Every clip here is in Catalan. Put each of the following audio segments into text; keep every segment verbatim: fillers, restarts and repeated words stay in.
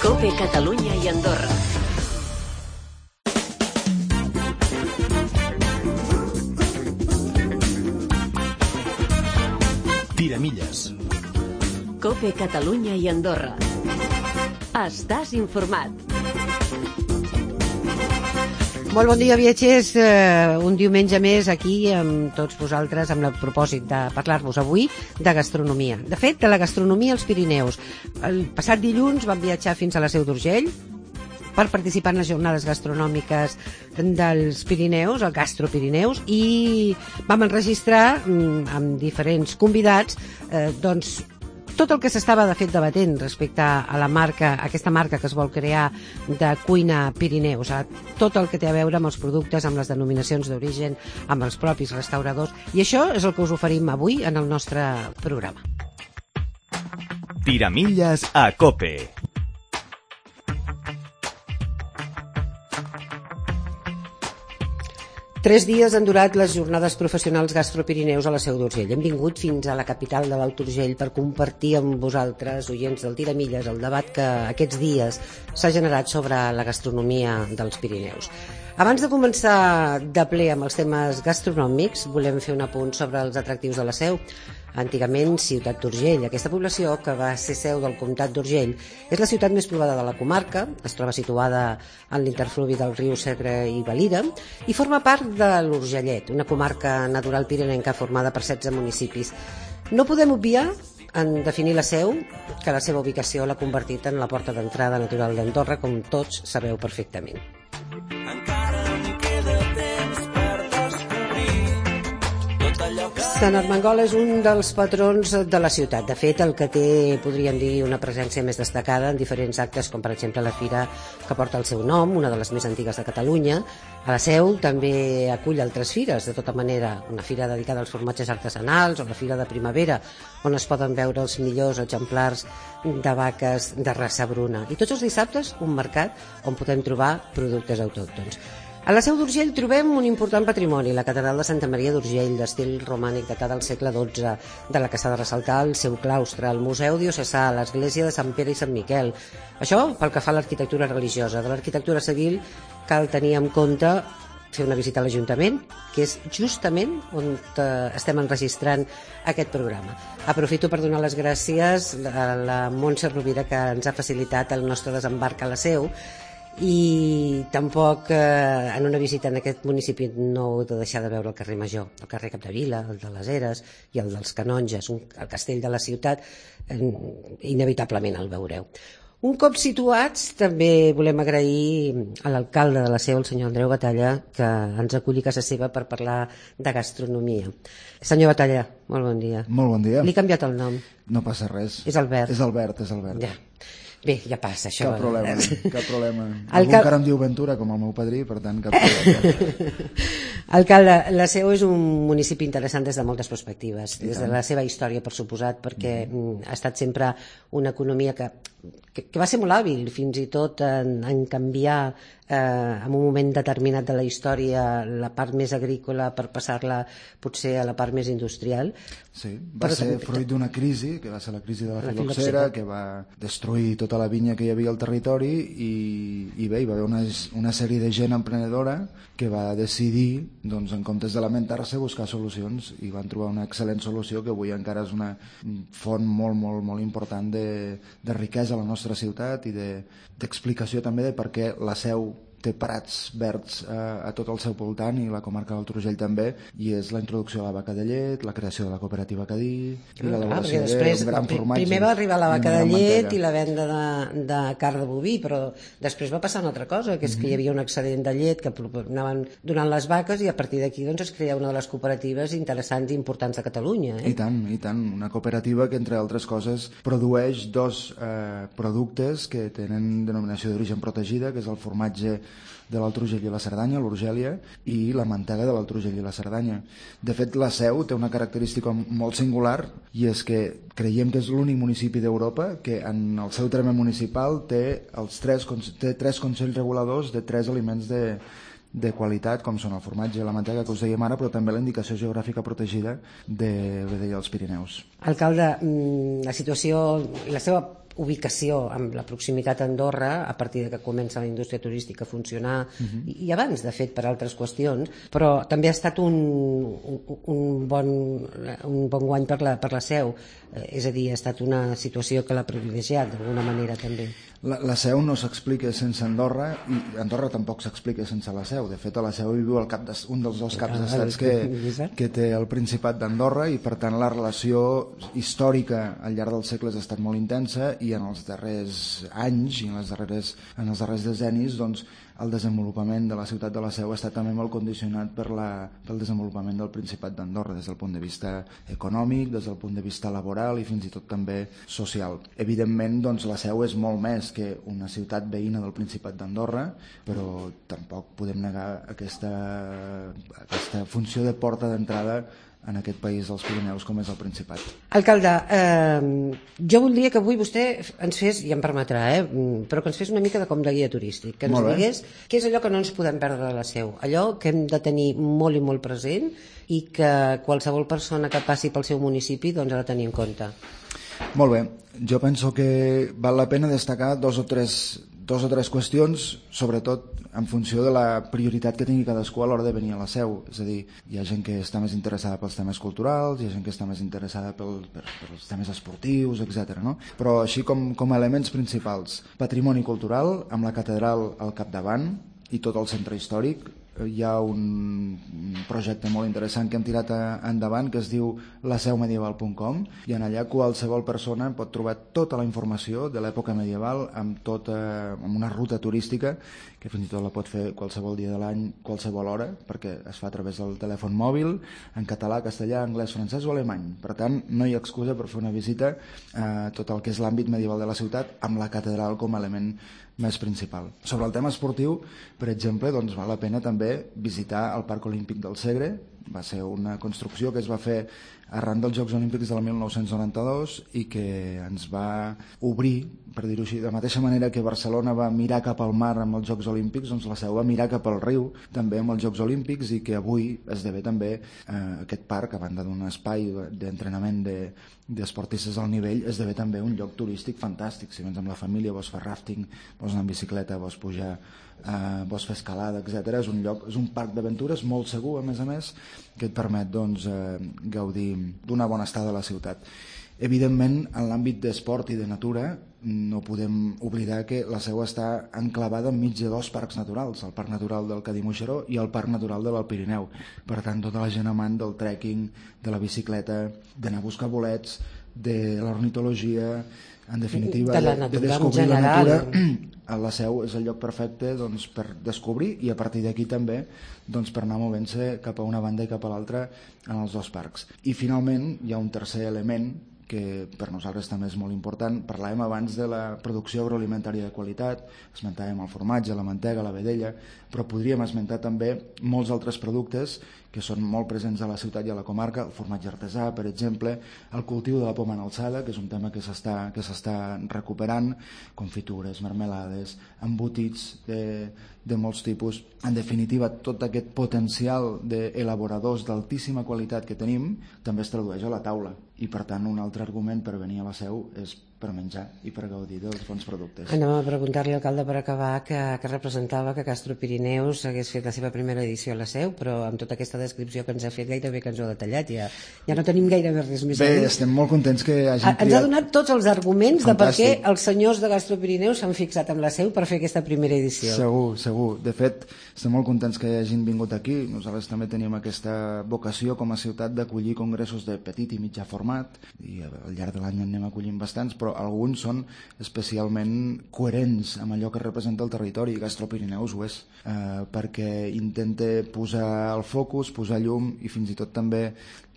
COPE Catalunya i Andorra. Tiramilles. COPE Catalunya i Andorra. Estàs informat. Molt bon dia, viatgers. Uh, un diumenge més aquí amb tots vosaltres amb el propòsit de parlar-vos avui de gastronomia. De fet, de la gastronomia als Pirineus. El passat dilluns vam viatjar fins a la Seu d'Urgell per participar en les jornades gastronòmiques dels Pirineus, el Gastro Pirineus, i vam enregistrar mm, amb diferents convidats eh, doncs tot el que s'estava de fet debatent respecte a la marca, a aquesta marca que es vol crear de cuina Pirineus, a tot el que té a veure amb els productes, amb les denominacions d'origen, amb els propis restauradors, i això és el que us oferim avui en el nostre programa. Tiramilles a COPE. Tres dies han durat les jornades professionals Gastropirineus a la Seu d'Urgell. Hem vingut fins a la capital de l'Alt Urgell per compartir amb vosaltres, oients del Tiramilles, el debat que aquests dies s'ha generat sobre la gastronomia dels Pirineus. Abans de començar de ple amb els temes gastronòmics, volem fer un apunt sobre els atractius de la Seu. Antigament Ciutat d'Urgell. Aquesta població, que va ser seu del comtat d'Urgell, és la ciutat més poblada de la comarca, es troba situada en l'interfluvi del riu Segre i Valira i forma part de l'Urgellet, una comarca natural pirinenca formada per setze municipis. No podem obviar en definir la Seu que la seva ubicació l'ha convertit en la porta d'entrada natural d'Andorra, com tots sabeu perfectament. Sant Armengol és un dels patrons de la ciutat. De fet, el que té, podríem dir, una presència més destacada en diferents actes, com per exemple la fira que porta el seu nom, una de les més antigues de Catalunya. A la Seu també acull altres fires, de tota manera, una fira dedicada als formatges artesanals o la fira de primavera, on es poden veure els millors exemplars de vaques de raça bruna. I tots els dissabtes, un mercat on podem trobar productes autòctons. A la Seu d'Urgell trobem un important patrimoni, la catedral de Santa Maria d'Urgell, d'estil romànic datat del segle dotze, de la que s'ha de ressaltar el seu claustre, el Museu Diocesà, l'església de Sant Pere i Sant Miquel. Això pel que fa a l'arquitectura religiosa. De l'arquitectura civil cal tenir en compte fer una visita a l'Ajuntament, que és justament on estem enregistrant aquest programa. Aprofito per donar les gràcies a la Montse Rovira, que ens ha facilitat el nostre desembarc a la Seu, i tampoc eh, en una visita en aquest municipi no heu de deixar de veure el carrer Major, el carrer Capdevila, el de les Eres i el dels Canonges, un, el castell de la ciutat, eh, inevitablement el veureu. Un cop situats, també volem agrair a l'alcalde de la Seu, el senyor Andreu Batalla, que ens aculli a casa seva per parlar de gastronomia. Senyor Batalla, molt bon dia. Molt bon dia. Li he canviat el nom. No passa res. És Albert. És Albert, és Albert. Ja. Bé, ja passa, això. Cap problema, cap problema. El Algú cap... encara em diu Ventura, com el meu padrí, per tant, cap problema. Alcalde, la Seu és un municipi interessant des de moltes perspectives, des de la seva història, per suposat, perquè mm. ha estat sempre una economia que, que, que va ser molt hàbil, fins i tot en, en canviar eh, en un moment determinat de la història la part més agrícola per passar-la potser a la part més industrial. Sí, va Però ser també... fruit d'una crisi, que va ser la crisi de la, la filoxera, que va destruir tota la vinya que hi havia al territori i, i bé, hi va haver una, una sèrie de gent emprenedora que va decidir, doncs, en comptes de lamentar-se, buscar solucions, i van trobar una excel·lent solució que avui encara és una font molt, molt, molt important de, de riquesa a la nostra ciutat i d'explicació de, també de per què la Seu té prats verds a, a tot el seu voltant, i la comarca del Urgell també, i és la introducció de la vaca de llet, la creació de la cooperativa Cadí, i l'elaboració d'un gran formatge. Primer va arribar la vaca de llet i la venda de, de carn de boví, però després va passar una altra cosa, que és que hi havia un excedent de llet que anaven donant les vaques, i a partir d'aquí doncs, es crea una de les cooperatives interessants i importants de Catalunya. Eh? I tant, i tant. Una cooperativa que, entre altres coses, produeix dos eh, productes que tenen denominació d'origen protegida, que és el formatge de l'Alt Urgell i la Cerdanya, l'Urgèlia, i la mantega de l'Alt Urgell i la Cerdanya. De fet, la Seu té una característica molt singular, i és que creiem que és l'únic municipi d'Europa que en el seu terme municipal té, els tres, té tres consells reguladors de tres aliments de, de qualitat, com són el formatge i la mantega que us dèiem ara, però també la indicació geogràfica protegida de vedella dels Pirineus. Alcalde, la situació, la seva ubicació amb la proximitat a Andorra a partir de que comença la indústria turística a funcionar uh-huh. i, i abans, de fet, per altres qüestions, però també ha estat un, un, un, bon, un bon guany per la, per la Seu, eh, és a dir, ha estat una situació que l'ha privilegiat d'alguna manera també. La, la Seu no s'explica sense Andorra i Andorra tampoc s'explica sense la Seu. De fet, a la Seu hi viu el cap de, un dels dos caps d'estats que, que té el Principat d'Andorra i, per tant, la relació històrica al llarg dels segles ha estat molt intensa i en els darrers anys i en, les darreres, en els darrers decennis doncs, el desenvolupament de la ciutat de la Seu ha estat també molt condicionat per la, pel desenvolupament del Principat d'Andorra des del punt de vista econòmic, des del punt de vista laboral i fins i tot també social. Evidentment, doncs, la Seu és molt més que una ciutat veïna del Principat d'Andorra, però tampoc podem negar aquesta, aquesta funció de porta d'entrada en aquest país dels Pirineus com és el Principat. Alcalde, eh, jo voldria que avui vostè ens fes, i em permetrà, eh, però que ens fes una mica de com de guia turístic, que ens digués què és allò que no ens podem perdre de la Seu, allò que hem de tenir molt i molt present i que qualsevol persona que passi pel seu municipi doncs, ha de tenir en compte. Molt bé, jo penso que val la pena destacar dos o tres, dos o tres qüestions, sobretot en funció de la prioritat que tingui cadascú a l'hora de venir a la Seu. És a dir, hi ha gent que està més interessada pels temes culturals, hi ha gent que està més interessada pel, per, pels temes esportius, etcètera. No? Però així com, com a elements principals, patrimoni cultural, amb la catedral al capdavant i tot el centre històric, hi ha un projecte molt interessant que hem tirat endavant que es diu la seu medieval punt com i en allà qualsevol persona pot trobar tota la informació de l'època medieval amb, tota, amb una ruta turística que fins i tot la pot fer qualsevol dia de l'any, qualsevol hora, perquè es fa a través del telèfon mòbil, en català, castellà, anglès, francès o alemany. Per tant, no hi ha excusa per fer una visita a tot el que és l'àmbit medieval de la ciutat amb la catedral com a element més principal. Sobre el tema esportiu, per exemple, doncs val la pena també visitar el Parc Olímpic del Segre. Va ser una construcció que es va fer arran dels Jocs Olímpics del mil nou-cents noranta-dos i que ens va obrir, per dir-ho així, de la mateixa manera que Barcelona va mirar cap al mar amb els Jocs Olímpics, doncs la Seu va mirar cap al riu també amb els Jocs Olímpics i que avui esdevé també eh, aquest parc, a banda d'un espai d'entrenament de, d'esportistes al nivell, esdevé també un lloc turístic fantàstic. Si vens amb la família, vols fer rafting, vols anar en bicicleta, vols pujar, eh, vols fer escalada, etcètera. És un lloc, és un parc d'aventures molt segur, a més a més, que et permet doncs, eh, gaudir d'una bona estada a la ciutat. Evidentment, en l'àmbit d'esport i de natura, no podem oblidar que la Seu està enclavada enmig de dos parcs naturals, el Parc Natural del Cadí-Moixeró i el Parc Natural de l'Alt Pirineu. Per tant, tota la gent amant del trekking, de la bicicleta, d'anar a buscar bolets, de l'ornitologia, en definitiva, de, la de, natura, de descobrir en la natura, general. la Seu és el lloc perfecte doncs, per descobrir i a partir d'aquí també doncs, per anar movent-se cap a una banda i cap a l'altra en els dos parcs. I finalment hi ha un tercer element que per nosaltres també és molt important. Parlàvem abans de la producció agroalimentària de qualitat, esmentàvem el formatge, la mantega, la vedella, però podríem esmentar també molts altres productes que són molt presents a la ciutat i a la comarca, el formatge artesà, per exemple, el cultiu de la poma en alçada, que és un tema que s'està que s'està recuperant, confitures, marmelades, embotits de, de molts tipus. En definitiva, tot aquest potencial d'elaboradors d'altíssima qualitat que tenim també es tradueix a la taula i, per tant, un altre argument per venir a la Seu és per menjar i per gaudir dels bons productes. Anem a preguntar-li, alcalde, per acabar, que, que representava que Gastro Pirineus hagués fet la seva primera edició a la Seu, però amb tota aquesta descripció que ens ha fet gairebé que ens ho ha detallat, ja, ja no tenim gairebé res més Bé, a dir. estem molt contents que hagin triat... Ens ha donat tots els arguments Fantàstic. de per què els senyors de Gastro Pirineus s'han fixat amb la Seu per fer aquesta primera edició. Segur, segur. De fet, estem molt contents que hagin vingut aquí. Nosaltres també tenim aquesta vocació com a ciutat d'acollir congressos de petit i mitjà format, i al llarg de l'any en anem acollint bastants, però alguns són especialment coherents amb allò que representa el territori, i Gastro Pirineus ho és, eh, perquè intenta posar el focus, posar llum i fins i tot també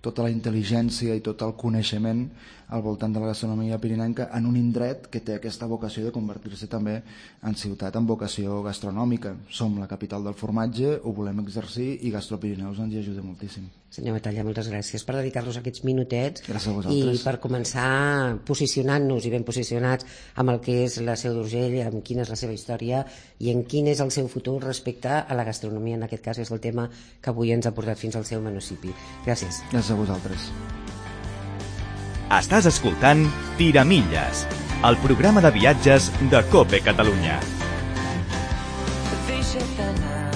tota la intel·ligència i tot el coneixement al voltant de la gastronomia pirinenca en un indret que té aquesta vocació de convertir-se també en ciutat amb vocació gastronòmica. Som la capital del formatge, ho volem exercir i Gastro Pirineus ens hi ajuda moltíssim. Senyor Batalla, moltes gràcies per dedicar-nos aquests minutets i per començar posicionant-nos i ben posicionats amb el que és la Seu d'Urgell, amb quina és la seva història i en quin és el seu futur respecte a la gastronomia. En aquest cas és el tema que avui ens ha portat fins al seu municipi. Gràcies. Gràcies a vosaltres. Estàs escoltant Tiramilles, el programa de viatges de COPE Catalunya. Deixa't anar,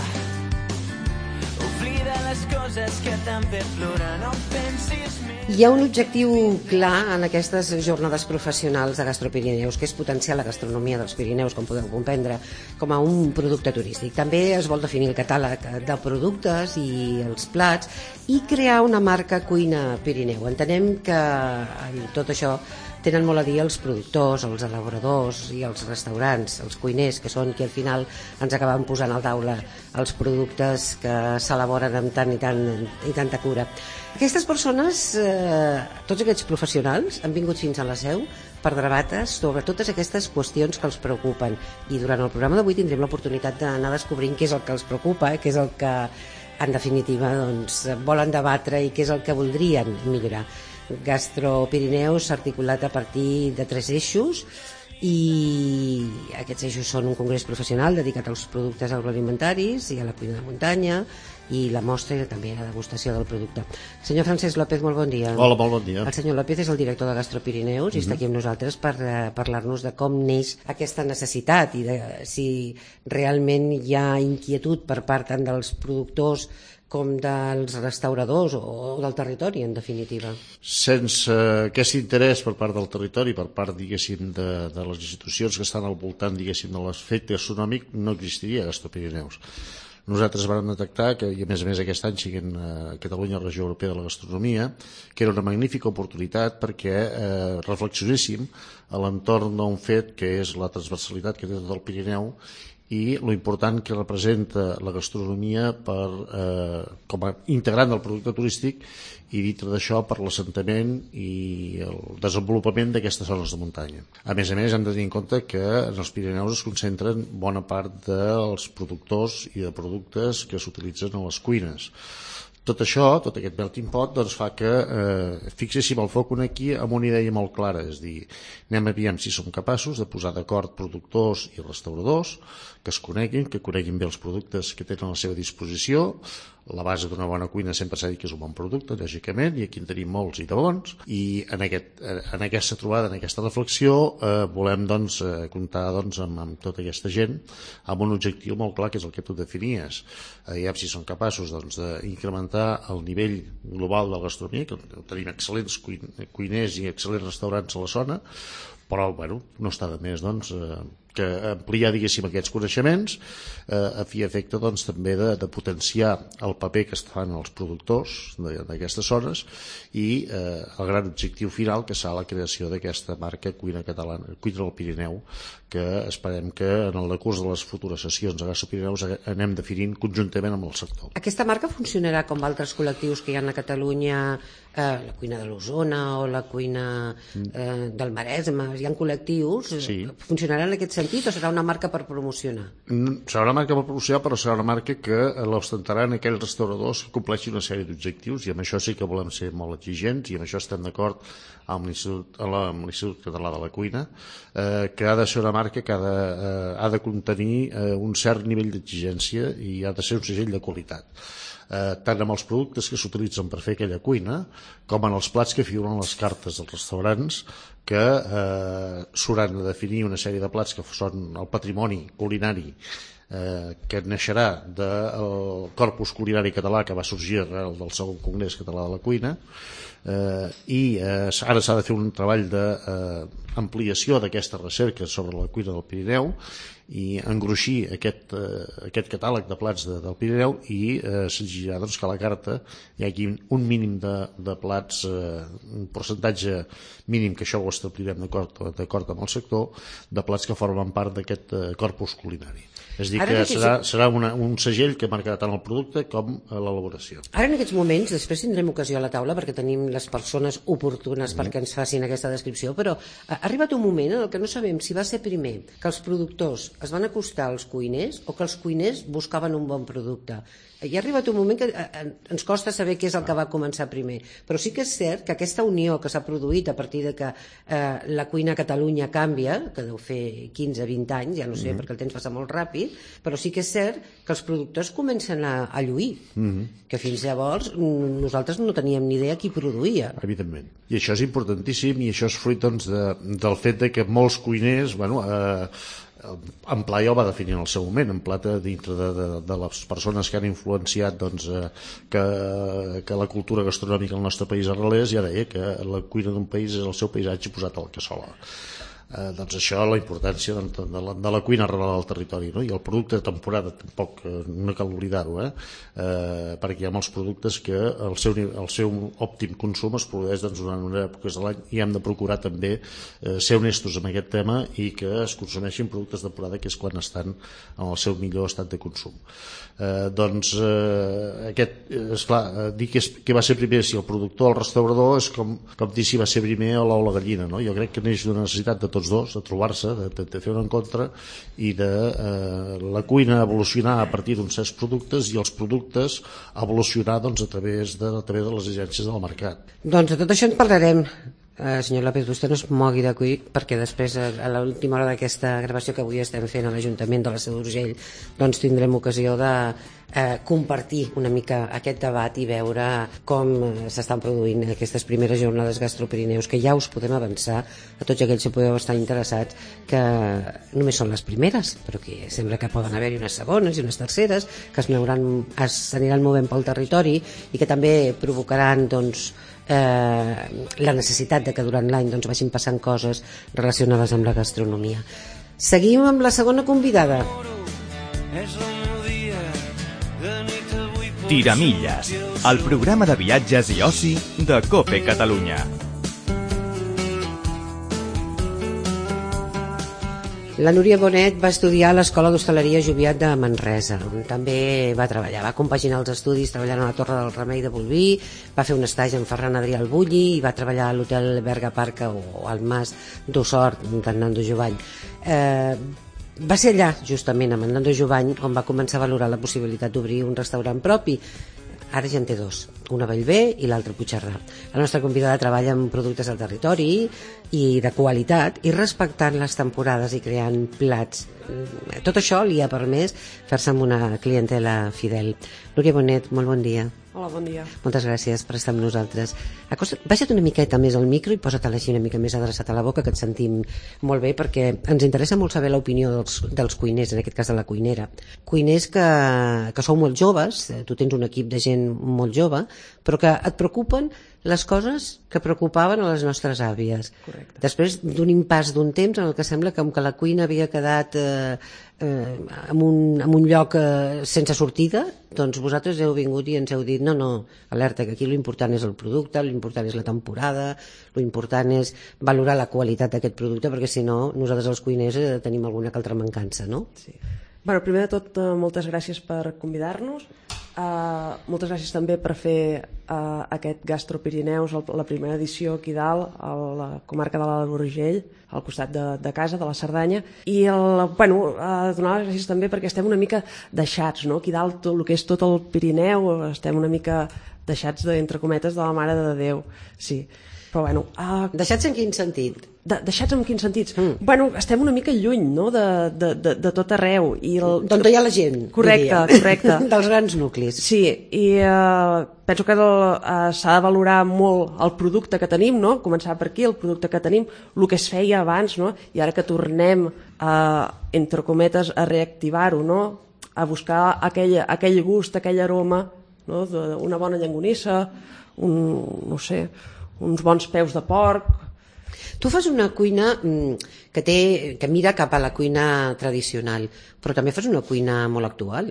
oblida les coses que t'han fet plorar, no pensis més. Hi ha un objectiu clar en aquestes jornades professionals de Gastropirineus, que és potenciar la gastronomia dels Pirineus, com podeu comprendre, com a un producte turístic. També es vol definir el catàleg de productes i els plats i crear una marca Cuina Pirineu. Entenem que en tot això tenen molt a dir els productors, els elaboradors i els restaurants, els cuiners, que són qui al final ens acaben posant al taula els productes que s'elaboren amb tant i, tant, i tanta cura. Aquestes persones, eh, tots aquests professionals, han vingut fins a la seu per debatre sobre totes aquestes qüestions que els preocupen. I durant el programa d'avui tindrem l'oportunitat d'anar descobrint què és el que els preocupa, què és el que, en definitiva, doncs, volen debatre i què és el que voldrien millorar. Gastropirineus s'ha articulat a partir de tres eixos i aquests eixos són un congrés professional dedicat als productes agroalimentaris i a la cuina de muntanya i la mostra i també la degustació del producte. Senyor Francesc López, molt bon dia. Hola, molt bon dia. El senyor López és el director de Gastropirineus i uh-huh. està aquí amb nosaltres per uh, parlar-nos de com neix aquesta necessitat i de si realment hi ha inquietud per part tant dels productors com dels restauradors o del territori, en definitiva. Sense aquest interès per part del territori, per part, diguéssim, de, de les institucions que estan al voltant, diguéssim, de l'efecte gastronòmic, no existiria Gastropirineus. Nosaltres vam detectar que, i a més a més aquest any siguin a Catalunya Regió Europea de la Gastronomia, que era una magnífica oportunitat perquè eh, reflexionéssim a l'entorn d'un fet que és la transversalitat que té tot el Pirineu i lo important que representa la gastronomia per, eh, com a integrant del producte turístic i dintre d'això per l'assentament i el desenvolupament d'aquestes zones de muntanya. A més a més hem de tenir en compte que en els Pirineus es concentren bona part dels productors i de productes que s'utilitzen a les cuines. Tot això, tot aquest melting pot, doncs fa que eh, fixéssim el foc aquí amb una idea molt clara, és dir, anem a veure si som capaços de posar d'acord productors i restauradors que es coneguin, que coneguin bé els productes que tenen a la seva disposició. La base d'una bona cuina sempre s'ha dit que és un bon producte, lògicament, i aquí en tenim molts i de bons, i en, aquest, en aquesta trobada, en aquesta reflexió, eh, volem doncs, eh, comptar doncs, amb, amb tota aquesta gent amb un objectiu molt clar, que és el que tu definies. Eh, ja si són capaços doncs, d'incrementar el nivell global de la gastronomia, que tenim excel·lents cuiners i excel·lents restaurants a la zona, però bueno, no està de més doncs, eh, que ampliar diguéssim aquests coneixements eh, a fi efecte doncs, també de, de potenciar el paper que fan els productors d'aquestes zones i eh, el gran objectiu final que serà la creació d'aquesta marca Cuina Catalana, Cuina del Pirineu, que esperem que en el decurs de les futures sessions a Gastropirineus anem definint conjuntament amb el sector. Aquesta marca funcionarà com altres col·lectius que hi ha a Catalunya, eh, la cuina de l'Osona o la cuina eh, del Maresme, hi ha col·lectius, sí. Funcionarà en aquest sentit o serà una marca per promocionar? Serà una marca per promocionar, però serà una marca que l'ostentaran aquells restauradors que compleixin una sèrie d'objectius i amb això sí que volem ser molt exigents i amb això estem d'acord amb l'Institut Català de la Cuina, eh, que ha de ser una marca que ha de, eh, ha de contenir eh, un cert nivell d'exigència i ha de ser un segell de qualitat. Eh, tant amb els productes que s'utilitzen per fer aquella cuina com en els plats que figuren les cartes dels restaurants que eh, s'hauran de definir una sèrie de plats que són el patrimoni culinari eh, que naixerà del corpus culinari català que va sorgir arrel del segon congrés català de la cuina eh, i eh, ara s'ha de fer un treball d'ampliació eh, d'aquesta recerca sobre la cuina del Pirineu i engruixir aquest, eh, aquest catàleg de plats de, del Pirineu i eh, s'exigirà doncs, que a la carta hi hagi un mínim de, de plats, eh, un percentatge mínim, que això ho establirem d'acord amb el sector, de plats que formen part d'aquest eh, corpus culinari. És a dir, que serà, serà una, un segell que marcarà tant el producte com l'elaboració. Ara en aquests moments, després tindrem ocasió a la taula perquè tenim les persones oportunes mm. perquè ens facin aquesta descripció, però ha arribat un moment en el que no sabem si va ser primer que els productors es van acostar als cuiners o que els cuiners buscaven un bon producte. Hi ha arribat un moment que ens costa saber què és el que va començar primer, però sí que és cert que aquesta unió que s'ha produït a partir de que eh, la cuina a Catalunya canvia, que deu fer quinze vint anys, ja no sé, mm. perquè el temps passa molt ràpid, però sí que és cert que els productors comencen a, a lluir, mm-hmm. que fins llavors nosaltres no teníem ni idea qui produïa. Evidentment. I això és importantíssim, i això és fruit doncs, de, del fet de que molts cuiners, bueno, eh, en Pla ja ho va definir en el seu moment, en Pla dintre de, de, de les persones que han influenciat doncs, eh, que, que la cultura gastronòmica al nostre país arrelés, ja deia que la cuina d'un país és el seu paisatge posat a la cassola. Eh, doncs això, la importància de, de, la, de la cuina arrelada al territori, no? I el producte de temporada tampoc, eh, no cal oblidar-ho, eh? Eh, perquè hi ha molts productes que el seu, el seu òptim consum es produeix doncs, durant una època de l'any, i hem de procurar també eh, ser honestos amb aquest tema i que es consumeixin productes de temporada, que és quan estan en el seu millor estat de consum. Eh, doncs eh, aquest, esclar, eh, dir que, és, que va ser primer si el productor o el restaurador és com, com dir si va ser primer o l'ou la gallina, no? Jo crec que neix d'una necessitat de tots dos, de trobar-se, de, de, de fer un encontre, i de eh, la cuina evolucionar a partir d'uns certs productes i els productes evolucionar doncs, a, través de, a través de les agències del mercat. Doncs de tot això en parlarem. Uh, senyor López, vostè no es mogui d'aquí, perquè després, a l'última hora d'aquesta gravació que avui estem fent a l'Ajuntament de la Seu d'Urgell, doncs tindrem ocasió de uh, compartir una mica aquest debat i veure com s'estan produint aquestes primeres jornades Gastropirineus, que ja us podem avançar a tots aquells que podeu estar interessats, que només són les primeres, però que sembla que poden haver-hi unes segones i unes terceres, que es, neuran, es aniran movent pel territori i que també provocaran, doncs, Eh, la necessitat de que durant l'any doncs, vagin passant coses relacionades amb la gastronomia. Seguim amb la segona convidada. Tiramilles, el programa de viatges i oci de COPE Catalunya. La Núria Bonet va estudiar a l'Escola d'Hostaleria Joviat de Manresa, on també va treballar, va compaginar els estudis treballant a la Torre del Remei de Bolvir, va fer un estatge amb Ferran Adrià al Bulli i va treballar a l'hotel Berga Parca o al Mas d'Ossort d'en Nando Jovany. Eh, va ser allà, justament, amb en Nando Jovany, on va començar a valorar la possibilitat d'obrir un restaurant propi. Ara ja en té dos, una a Bellver i l'altra a Puigcerdà. La nostra convidada treballa amb productes del territori i de qualitat i respectant les temporades i creant plats. Tot això li ha permès fer-se amb una clientela fidel. Núria Bonet, molt bon dia. Hola, bon dia. Moltes gràcies per estar amb nosaltres. Acosta, baixa't una miqueta més al micro i posa't així una mica més adreçat a la boca, que et sentim molt bé, perquè ens interessa molt saber l'opinió dels, dels cuiners, en aquest cas de la cuinera. Cuiners que, que sou molt joves, tu tens un equip de gent molt jove, però que et preocupen les coses que preocupaven a les nostres àvies. Correcte. Després d'un impàs d'un temps en el que sembla com que la cuina havia quedat eh, eh, en, un, en un lloc eh, sense sortida, doncs vosaltres heu vingut i ens heu dit no, no, alerta, que aquí l'important és el producte, l'important és la temporada, l'important és valorar la qualitat d'aquest producte, perquè si no, nosaltres els cuiners eh, tenim alguna altra mancança, no? Sí. Bueno, primer de tot, eh, moltes gràcies per convidar-nos. Uh, moltes gràcies també per fer uh, aquest Gastropirineus, la primera edició aquí dalt, a la comarca de l'Alt Urgell, al costat de, de casa, de la Cerdanya. I el, bueno, uh, donar les gràcies també perquè estem una mica deixats, no? Aquí dalt, tot el que és tot el Pirineu, estem una mica deixats, de, entre cometes, de la Mare de Déu. Sí. Però bueno... Uh, deixats en quin sentit? De, deixats en quins sentits? Mm. Bueno, estem una mica lluny, no?, de, de, de, de tot arreu. I el... D'on hi ha la gent. Correcte, correcte. Dels grans nuclis. Sí, i uh, penso que uh, s'ha de valorar molt el producte que tenim, no?, començar per aquí, el producte que tenim, el que es feia abans, no?, i ara que tornem, uh, entre cometes, a reactivar-ho, no?, a buscar aquell, aquell gust, aquell aroma, no?, d'una bona llonganissa, un, no sé, uns bons peus de porc. Tu fas una cuina que, té, que mira cap a la cuina tradicional, però també fas una cuina molt actual.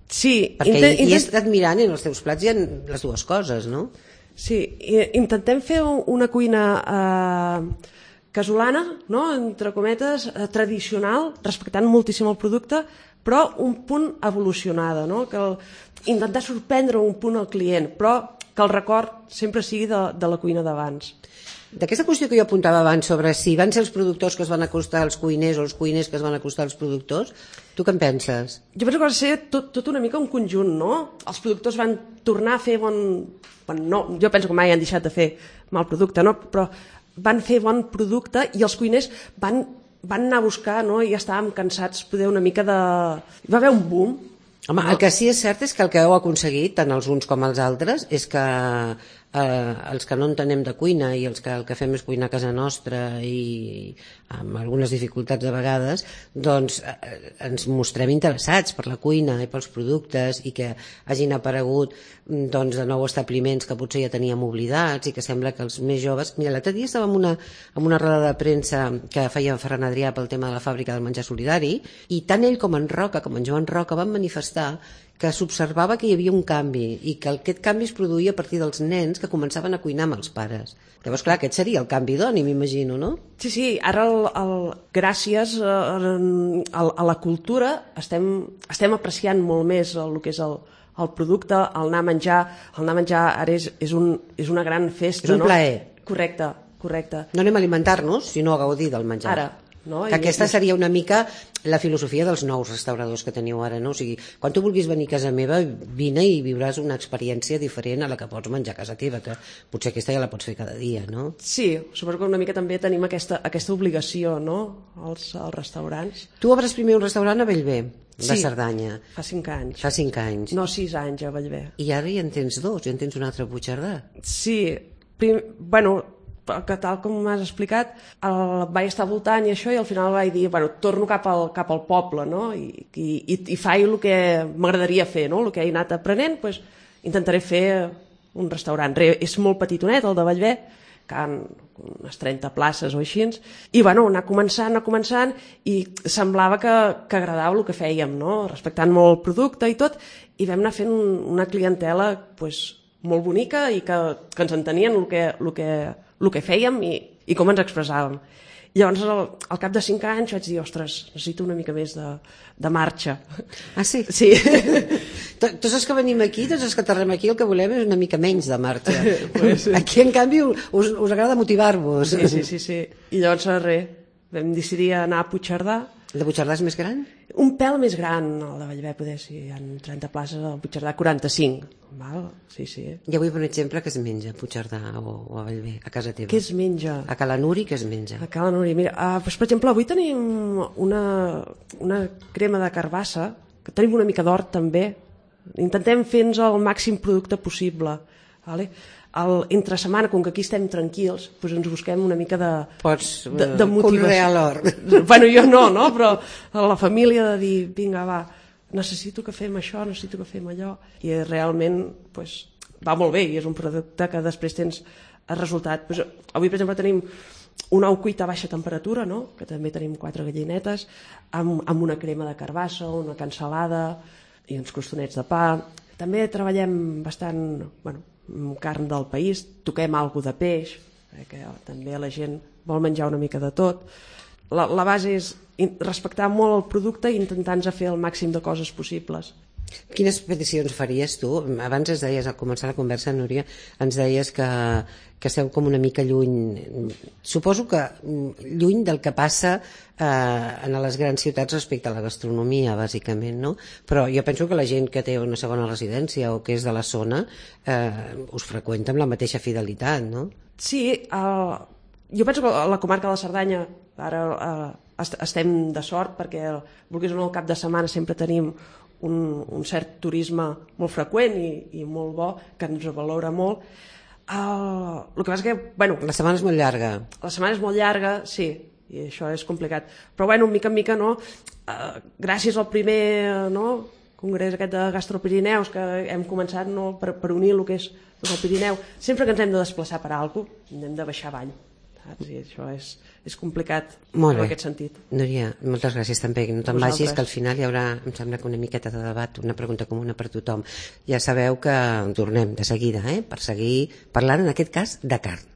Sí. Perquè intent, hi, hi he intent... estat mirant i en els teus plats hi ha les dues coses, no? Sí, intentem fer una cuina eh, casolana, no?, entre cometes, eh, tradicional, respectant moltíssim el producte, però un punt evolucionada, no?, que el, intentar sorprendre un punt al client, però que el record sempre sigui de, de la cuina d'abans. D'aquesta qüestió que jo apuntava abans sobre si van ser els productors que es van acostar als cuiners o els cuiners que es van acostar als productors, tu què en penses? Jo penso que va ser tot, tot una mica un conjunt, no? Els productors van tornar a fer bon... bon no, jo penso que mai han deixat de fer mal producte, no? Però van fer bon producte i els cuiners van van anar a buscar, no? I ja estàvem cansats poder una mica de... Hi va haver un boom. Home, el que sí és cert és que el que heu aconseguit, tant els uns com els altres, és que eh, els que no entenem de cuina i els que el que fem és cuinar a casa nostra i amb algunes dificultats de vegades, doncs eh, ens mostrem interessats per la cuina i pels productes i que hagin aparegut doncs, de nou establiments que potser ja teníem oblidats i que sembla que els més joves... Mira, l'altre dia estava en una, en una roda de premsa que feia Ferran Adrià pel tema de la fàbrica del menjar solidari i tant ell com en Roca, com en Joan Roca, van manifestar que s'observava que hi havia un canvi i que aquest canvi es produïa a partir dels nens que començaven a cuinar amb els pares. Llavors, clar, aquest seria el canvi d'oni, m'imagino, no? Sí, sí, ara el, el, gràcies a, a, a la cultura estem, estem apreciant molt més el que és el, el producte, el anar a menjar. El anar a menjar ara és, és, un, és una gran festa, és un no? plaer. Correcte, correcte. No anem a alimentar-nos, sinó a gaudir del menjar. Ara. No? Que aquesta seria una mica la filosofia dels nous restauradors que teniu ara, no? O sigui, quan tu vulguis venir a casa meva, vine i viuràs una experiència diferent a la que pots menjar a casa teva, que potser aquesta ja la pots fer cada dia, no? Sí, suposo que una mica també tenim aquesta, aquesta obligació, no?, als, als restaurants. Tu obres primer un restaurant a Bellver, de sí, Cerdanya. fa cinc anys. Fa cinc anys. No, sis anys a Bellver. I ara ja en tens dos, ja en tens un altre a Puigcerdà. Sí, prim, bueno... que tal com m'has explicat, el, vaig estar voltant i això, i al final vaig dir, bueno, torno cap al, cap al poble, no? I, i, i faig el que m'agradaria fer, no? El que he anat aprenent, pues, intentaré fer un restaurant. Re, és molt petitonet, el de Bellver, que han unes trenta places o així, i bueno, anar començant, anar començant, i semblava que, que agradava el que fèiem, no? Respectant molt el producte i tot, i vam anar fent una clientela pues, molt bonica i que, que ens entenien el que, el que el que fèiem i, i com ens expressàvem. Llavors, al, al cap de cinc anys vaig dir, ostres, necessito una mica més de, de marxa. Ah, sí? Sí. Tots els que venim aquí, tots els que aterrem aquí, el que volem és una mica menys de marxa. Pues, aquí, en canvi, us, us agrada motivar-vos. Sí, sí, sí, sí. I llavors, res, vam decidir anar a Puigcerdà. El de Puigcerdà és més gran? Un pèl més gran, el de Bellver, poder, si hi ha trenta places, el Puigcerdà quaranta-cinc. Val? Sí, sí. I avui, per exemple, què es menja a Puigcerdà o, o a Bellver, a casa teva? Què es menja? A Cala Nuri, què es menja? A Cala Nuri, mira, uh, doncs, per exemple, avui tenim una, una crema de carbassa, que tenim una mica d'hort també. Intentem fer-nos el màxim producte possible. Vale? El, entre setmana, com que aquí estem tranquils, doncs ens busquem una mica de, Pots, de, de motivació. Conrear l'hort. Bueno, jo no, no, però la família de dir, vinga, va, necessito que fem això, necessito que fem allò, i realment doncs, va molt bé, i és un producte que després tens el resultat. Doncs, avui, per exemple, tenim un ou cuit a baixa temperatura, no? Que també tenim quatre gallinetes, amb, amb una crema de carbassa, una cansalada i uns costonets de pa. També treballem bastant, bueno, carn del país, toquem alguna de peix, que també la gent vol menjar una mica de tot. La, la base és respectar molt el producte i intentar-nos fer el màxim de coses possibles. Quines peticions faries tu? Abans ens deies, al començar la conversa, Núria, ens deies que, que esteu com una mica lluny, suposo que lluny del que passa eh, en les grans ciutats respecte a la gastronomia, bàsicament, no? Però jo penso que la gent que té una segona residència o que és de la zona eh, us freqüenta amb la mateixa fidelitat, no? Sí, eh, jo penso que a la comarca de la Cerdanya ara eh, est estem de sort perquè, vulguis o no, al cap de setmana sempre tenim Un, un cert turisme molt freqüent i, i molt bo, que ens valora molt. Uh, el que passa que, bueno... La setmana és molt llarga. La setmana és molt llarga, sí, i això és complicat. Però, bueno, mica en mica, no? Uh, gràcies al primer no, congrés aquest de Gastropirineus que hem començat no, per, per unir el que és el Pirineu, sempre que ens hem de desplaçar per alguna cosa, hem de baixar avall. Saps? I això és, és complicat molt en bé. Aquest sentit. Núria, moltes gràcies també, no te'n vagis, que al final hi haurà, em sembla que una miqueta de debat, una pregunta comuna per tothom. Ja sabeu que tornem de seguida, eh, per seguir parlant, en aquest cas, de carn.